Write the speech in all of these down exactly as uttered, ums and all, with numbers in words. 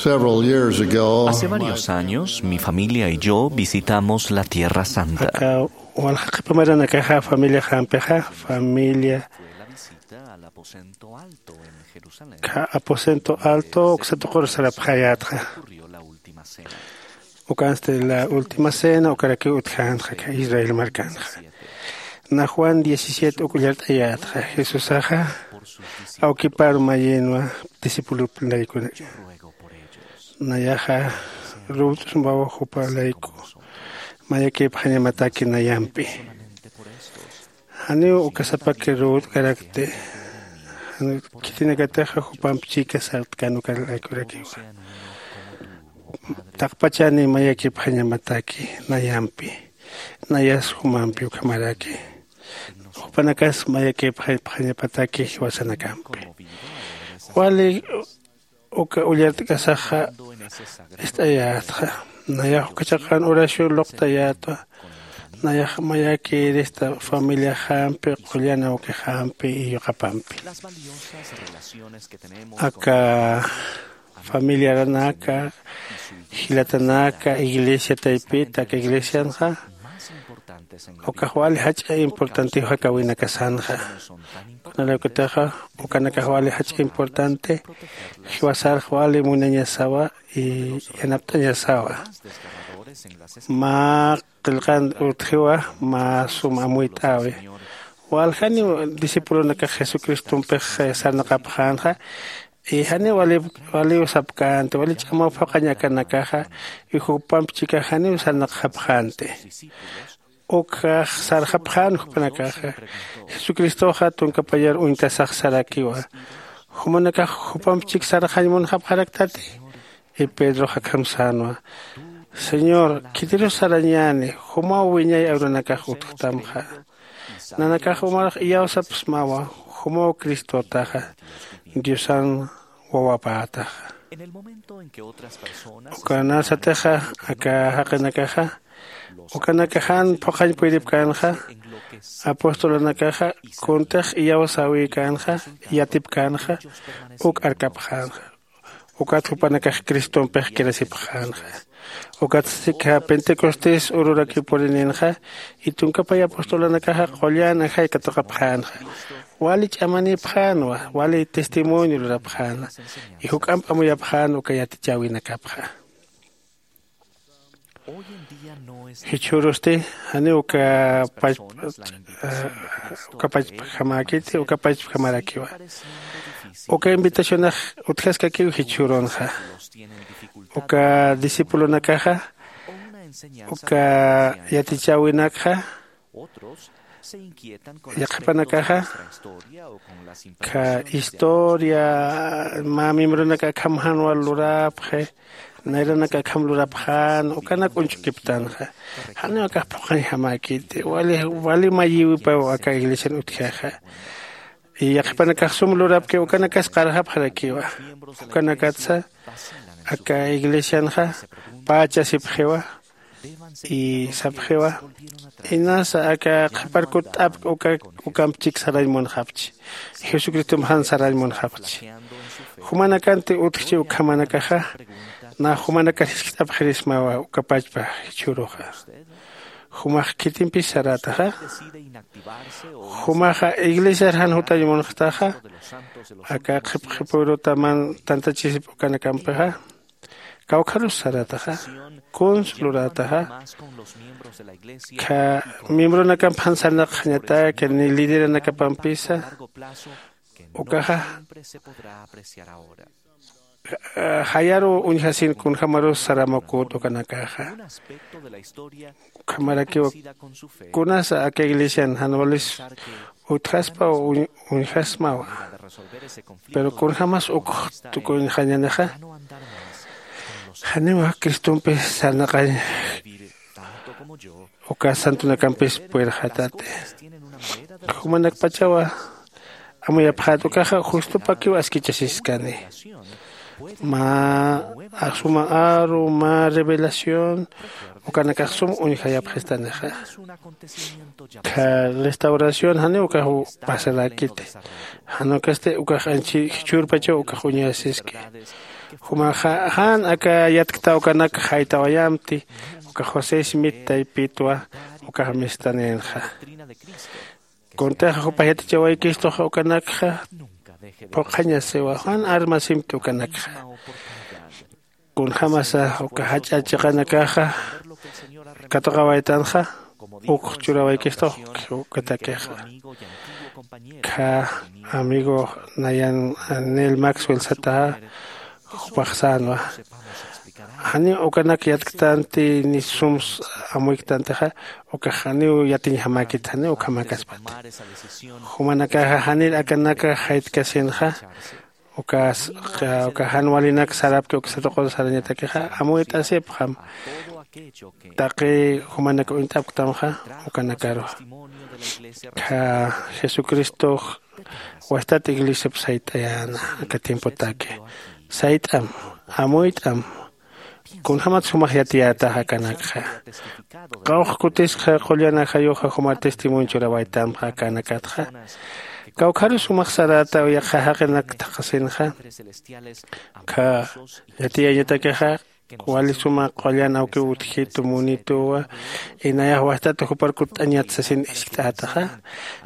Several years ago, hace varios años, mi familia y yo visitamos la Tierra Santa. Aka walja qhipa maranakaxa familia jampixa, familia Fue la visita al aposento alto en Jerusalén. Ka aposento alto uksa tuqur sarapxayätxa. Ocurrió la última cena. Ukansti la última cena ukarakiw utjänxa ka Israel markanxa. Na Juan diecisiete uk ullart'ayätxa, Jesusaxa awkipar mayinwa discipuloplaykunak. Nayaxa ruwt'smawa jupa layku mayakipxañamataki nayampi. Janiw uka sapaki ruwt'karakti. Khitinakatixa jupamp chika sartkan uka laykurakiwa. Taqpachani mayakipxañamataki nayampi. Nayas jumampi ukhamaraki. Jupanakas mayakipxañapataki jiwasanakampi. Wali uka ullart'kasaxa ist'ayätxa. Nayax uka chaqan oración luqtayätwa. Nayax mayakirista familiaxampi, qullan awkixampi y yuqapampi. Aka familiaranaka, jilatanaka, iglesia taypita aka iglesianxa ukax wali jach'a importantiw jakawinakasanxa. Kunalaykutixa ukanakax wali jach'a importante, jiwasarx wali munañasawa y yanapt'añasawa. Mä qillqan utjiwa, mä sum amuyt'äwi. Waljaniw discipulonakax jesucristompix sarnaqapxänxa. Y janiw wali waliw sapkänti, wali ch'amaw phuqhañ akanakaxa y jupamp chikax janiw sarnaqxapxänti. Ukjax sarxapxän jupanakaxa. Jesucristoxa tunkapayar uñtasax sarakiwa. Jumanakax jupamp chik sarxañ munxapxaraktati. Y pedrox akham sänwa, señor, khitirus sarañäni, jumaw wiñay aruranakax utjtamxa. Nanakax umarux iyawsapxsmawa, jumaw cristotaxa, diosan wawapätaxa. Ukanasatixa aka jaqinakaxa ukanakax jan phuqhañ puyripkänxa. Apostolanakaxa kuntix iyawsäwikänxa, yatipkänxa, uk arkapxänxa. Ukat jupanakax cristompix kirasipxänxa. Ukat sika pentecostés ururakiw purininxa. Y tunkapay apostolanakaxa qullan ajay katuqapxänxa. Wali ch'amanipxänwa, wali testimonio lurapxäna. Y juk'amp amuyapxän uka yatichäwinakapxa. Jichhürusti janiw uka pachp uka pachpjamäkiti, uka pachpjamarakiwa. Uka invitacionax utjaskakiw jichhürunxa. Uka discipulonakaxa uka yatichäwinakxa yaqhipanakaxa ka historia mä miembronaka akham jan wal lurapxi, nayranaka akham lurapxän ukanak uñch'ukiptanxa. Janiw akax phuqhañjamäkiti, wali wali mayiwipaw aka iglesian utjaxa. Yaqhipanakax sum lurapki ukanakas qarxapxarakiwa. Ukanakatsa aka iglesianxa pachasipxiwa. Y sapxiwa, inasa aka qhiparkut t'apk uka ukamp chik sarañ munxapchi, jesucristomp jan sarañ munxapchi. Jumanakanti utjchi ukhamanakaxa. Nä jumanakar jiskt'apxirismawa uka pachpa jichhüruxa. Jumax khitimpis sarätaxa. Jumaxa iglesiar jan jutañ munxtaxa. Aka qhipqhipüruta man tantachisip ukanakampixa. Kawkharus sarätaxa. Kuns lurätaxa. Kha miembronakamp jan sarnaqxañataki ni lideranakapampisa. Ukaxa jayaru uñjasin kunjämarus saramukut ukanakaxa. Ukhamarakiw kunasa aka iglesian jan walis utjaspa uñjasmawa. Pero kunjämas uk tukuñxañänixa. Janiwa cristompi sarnaqañ uka santunakampis puyrxatati. Jumanakpachawa amuyapxät ukaxa justopakiw askichasiskani. Mä suma aru mä revelación ukanakax sum uñjayapxistanixa. Kha restauración janiw ukax pasarakiti. Jan ukasti ukax anchi jichhürpachaw ukax uñasiski. Jumaxa jan aka yatkta ukanak jaytawayamti uka josé smith taypitwa ukax mistanïnxa. Kuntixa jupax yatichawaykistux ukanakxa phuqhañasiwa jan armasimti ukanakxa. Kunjämasa uka jach'a chiqanakaxa katuqawaytanxa uk churawaykistux ukatakixa. Kha amigo nayan nel maxwell sataxa jupax sänwa janiw ukanak yatktanti ni sums amuyktantixa ukax janiw yatiñjamäkit janiw ukhamäkaspati. Jumanakaxa janir akanaka jaytkasinxa uka jan walinak sarapki uksatuqun sarañatakixa amuyt'asipxam. Taqi jumanak uñt'apktamxa ukanakaru kha jesucristox wastat iglesiap sayt'ayäna aka tiempotaki sayt'am amuyt'am. Kunjämat sumax yatiyätaxa akanakxa qawx kutisxa qullan ajayuxa juma testimonio churawaytamxa akanakatxa. Kawkharus sumax saräta yaqha jaqinak thaqhasinxa kha yatiyañatakixa wali suma qullan awkiw utjitu munituwa. Inayax wajtata jupar kutt'añat sasin iskt'ätaxa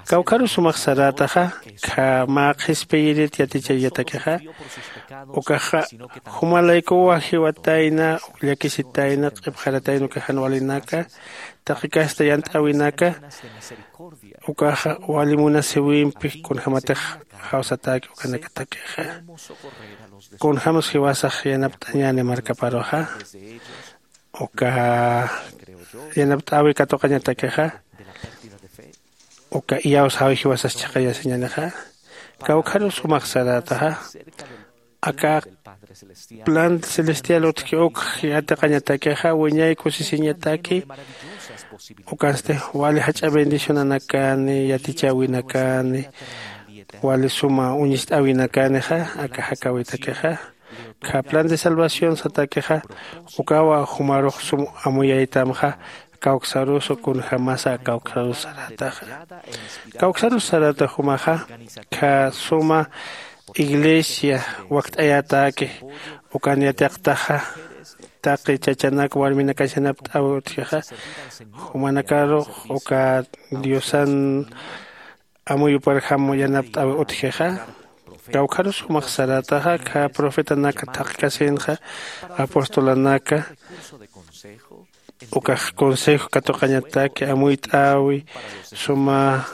kawkharus sumax sarätaxa kha mä qhispiyirit yatichañatakixa ukaxa jumalaykuwa jiwatayna llakisitayna q'ipxaratayna uka jan walinaka taqi kasta yant'äwinaka ukaxa wali munasiwimpi kunjämatix jawsatäki ukanakatakixa. Kunjämas jiwasax yanapt'añäni markaparuxa uka yanapt'äwi katuqañatakixa uka iyawsäwi jiwasas chhaqayasiñänixa. Kawkharus jumax sarätaxa aka plan celestial utjki uk yatiqañatakixa wiñay kusisiñataki ukansti wali jach'a bendicionanakani yatichäwinakani wali suma uñist'äwinakanixa aka jakäwitakixa kha plan de salvación satakixa ukawa jumarux sum amuyaytamxa. Kawksarusu kunjämasa kawksarus sarätaxa kawksarus saräta jumaxa kha suma iglesia wakt'ayätäki ukan yatiqtaxa taqi chachanak warminakas yanapt'äwi utjixa jumanakarux uka diosan amuyuparjam yanapt'äwi utjixa. Kawkharus jumax sarätaxa kha profetanaka thaqkasinxa apostolanaka ukax consejo katuqañataki amuyt'äwi suma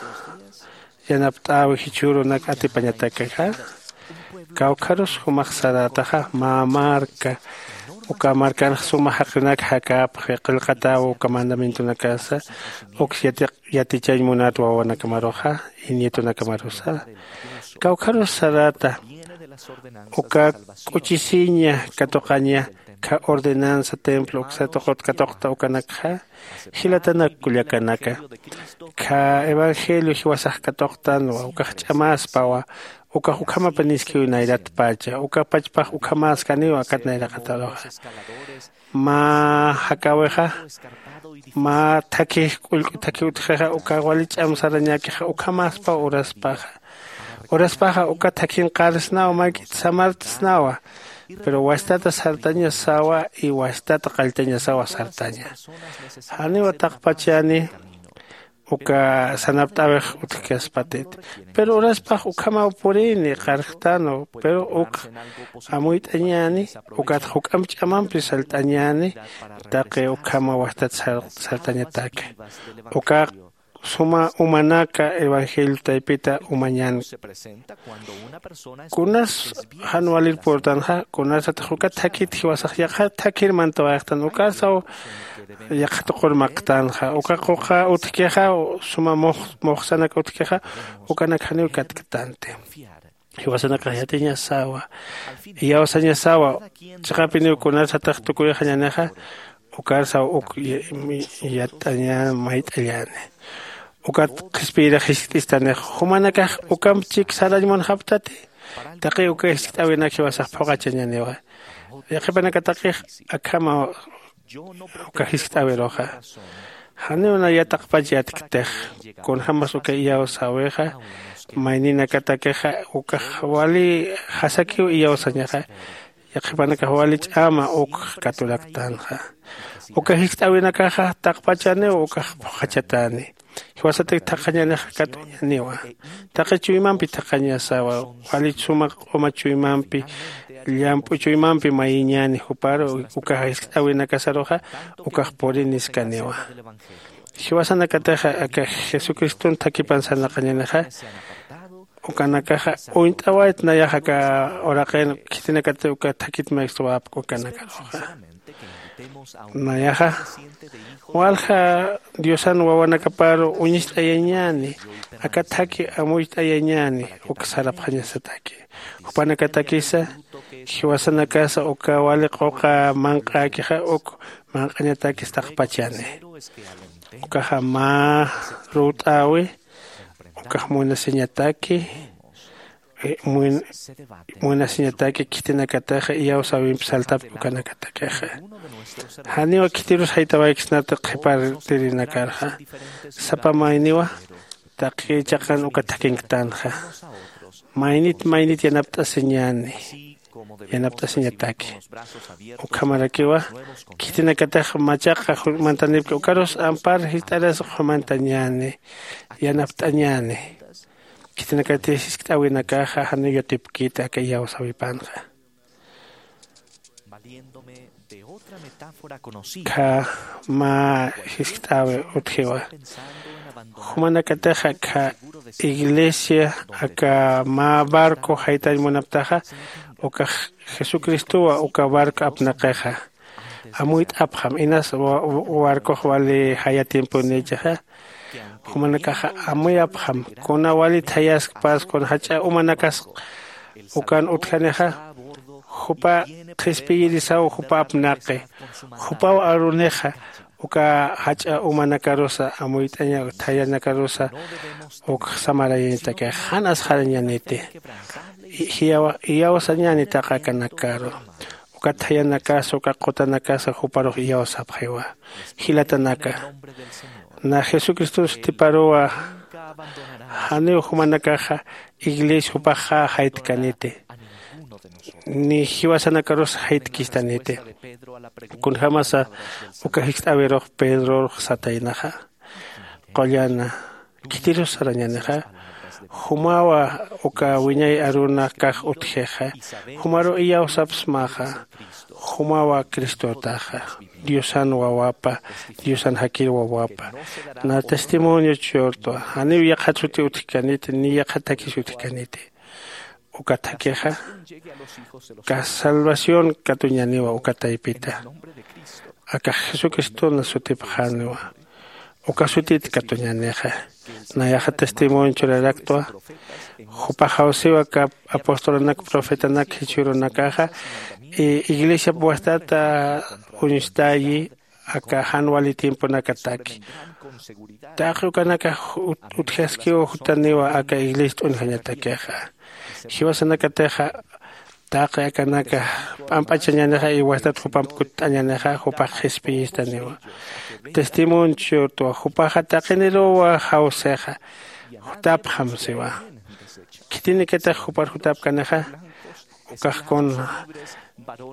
yanapt'äwi jichhürunak atipañatakixa. Kawkharus jumax sarätaxa mä marka uka markanx suma jaqinak jakäpxi qillqatäwi uka mandamientonakasa uks yatiq yatichañ munat wawanakamaruxa y nietonakamarusa. Kawkharus saräta uka k'uchisiña katuqaña kha ordenanza templo uksatuqut katuqta ukanakxa jilatanak kullakanaka kha evangelio jiwasax katuqtanwa ukax ch'amäspawa ukax ukhamapaniskiw nayratpacha uka pachpax ukhamäskaniw akat nayraqataruxa. Mä jakäwixa mä thakhi k'ullk'u thakhi utjixa uka wali ch'am sarañäkixa ukhamäspaw uraspaxa uraspaxa uka thakhin qarsnawa mayk'it samartsnawa. Pero wastata sartañasawa y wastata qalltañasawa sartaña. Janiwa taqpachani uka sanapt'äwix utjkaspatit. Pero uraspax ukhamaw purini qarjtanu pero uk amuyt'añäni ukat juk'amp ch'amampi salt'añäni taqi ukhama wajtat salt'añataki uka suma umanaka evangelio taypita umañän. Kunas jan walir purtanxa kunasatix uka thakit jiwasax yaqha thakir mantawayxtan ukarsaw yaqha tuqur maqtanxa uka quqa utjkixa suma muxsanak utjkixa ukanak janiw katktanti. Jiwasanakax yatiñasawa iyawsañasawa chiqapiniw kunasatix tukuyxañänixa ukarsaw uk yatt'añäni mayt'añäni. Ukat qhispiyirix jiskt'istanix jumanakax ukamp chik sarañ munxaptati. Taqi uka jiskt'äwinak jiwasax phuqhachañäniwa yaqhipanakataqix akhama uka jiskt'äwiruxa. Janiw naya taqpach yatktix kunjämas uka iyawsäwixa mayninakatakixa ukax wali jasakiw iyawsañaxa. Yaqhipanakax wali ch'ama ukx katuraktanxa. Uka jist'äwinakaxa taqpachaniw ukax phuqhachatani. Jiwasatak thaqhañanixa katuñaniwa. Taqi chuymampi thaqhañasawa. Wali suma q'uma chuymampi, llamp'u chuymampi mayiñani juparu uka jist'äwinakasaruxa ukax puriniskaniwa. Jiwasanakataxa aka jesucriston thakipan sarnaqañanixa ukanakaxa uñt'awayt nayax aka uraqin khitinakati uka thakit maykswapk ukanakaruxa. Nayaxa walja diosan wawanakaparu uñist'ayañäni. Aka thaki amuyt'ayañäni uk sarapxañasataki. Jupanakatakisa jiwasanakasa uka wali quqa manq'äkixa uk manq'añatakis taqpachani. Ukaxa mä ruwt'äwi ukax munasiñataki. Munasiñataki khitinakataxa iyawsäwimp saltapk ukanakatakixa. Janiw khitirus jaytawayksnati qhipartirinakarxa. Sapa mayniwa taqi chaqan uka thakinktanxa. Maynit maynit yanapt'asiñäni. Yanapt'asiñataki ukhamarakiwa khitinakatax machaqa jumantanipki ukarus ampar jist'aras jumantañäni. Yanapt'añäni. Khitinakati jiskt'äwinakaxa janiw yatipkiti aka iyawsäwipanxa. Kha mä jiskt'äwi utjiwa. Jumanakataxa kha iglesia aka mä barco jaytañ munaptaxa ukax jesucristowa uka barco apnaqixa. Amuyt'apxam inas barcox wali jaya tiemponïchaxa. Jumanakaxa amuyapxam kuna wali thayaskpas kuna jach'a umanakas ukan utjanixa. Jupa qhispiyirisaw jupa apnaqi. Jupaw arunixa uka jach'a umanakarusa amuyt'aña thayanakarusa uk samarayañatakix jan asxarañaniti. Iyawsañäni taqakanakaru uka thayanakasa uka qutanakasa juparux iyawsapxiwa. Jilatanaka na jesucriston sutiparuwa. Janiw jumanakaxa iglesia jupaxa jaytkaniti ni jiwasanakarus jaytkistaniti. Kunjämasa uka jiskt'äwirux pedrorux sataynaxa qullana khitirus sarañänixa. Jumawa uka wiñay arunakax utjixa. Jumaru iyawsapsmaxa. Jumawa cristotaxa diosan wawapa diosan jakir wawapa. Na testimonio churtwa janiw yaqhat suti utjkaniti ni yaqhat thakis utjkaniti. Uka thakixa ka salvación katuñaniwa uka taypita. Akax jesucristona sutipxaniwa. Uka sutit katuñanixa. Nayaxa testimonio churaraktwa. Jupax jawsiwa ka apostolanak profetanak jichhürunakaxa iglesiap wajtata uñstayi aka jan wali tiemponakataki. Taqi ukanakax utjaskiw jutaniwa aka iglesia t'unjañatakixa. Jiwasanakatixa taqi akanaka p'amp'achañänixa y wajtat jupamp kutt'añänixa jupax qhispiyistaniwa. Testimonio churtwa jupaxa taqiniruwa jawsixa. Jutapxam siwa. Khitinikatix jupar jutapkanixa. Ukax kun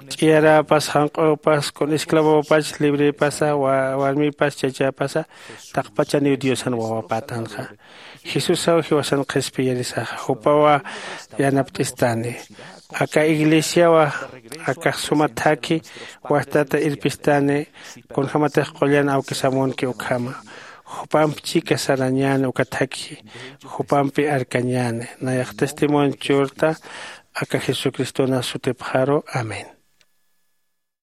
ch'iyaräpas janq'ürupas kun esclavopach librepasa warmipas chachäpasa taqpachaniw diosan wawapätanxa. Jesusaw jiwasan qhispiyirisaxa jupawa yanapt'istani. Aka iglesiawa akax suma thakhi wajtata irpistani. Kunjämatix qullan awkisamunki ukhama jupamp chika sarañäni uka thakhi jupampi arkañäni. Nayax testimonio churta aka jesucristona sutipxaru. Amén.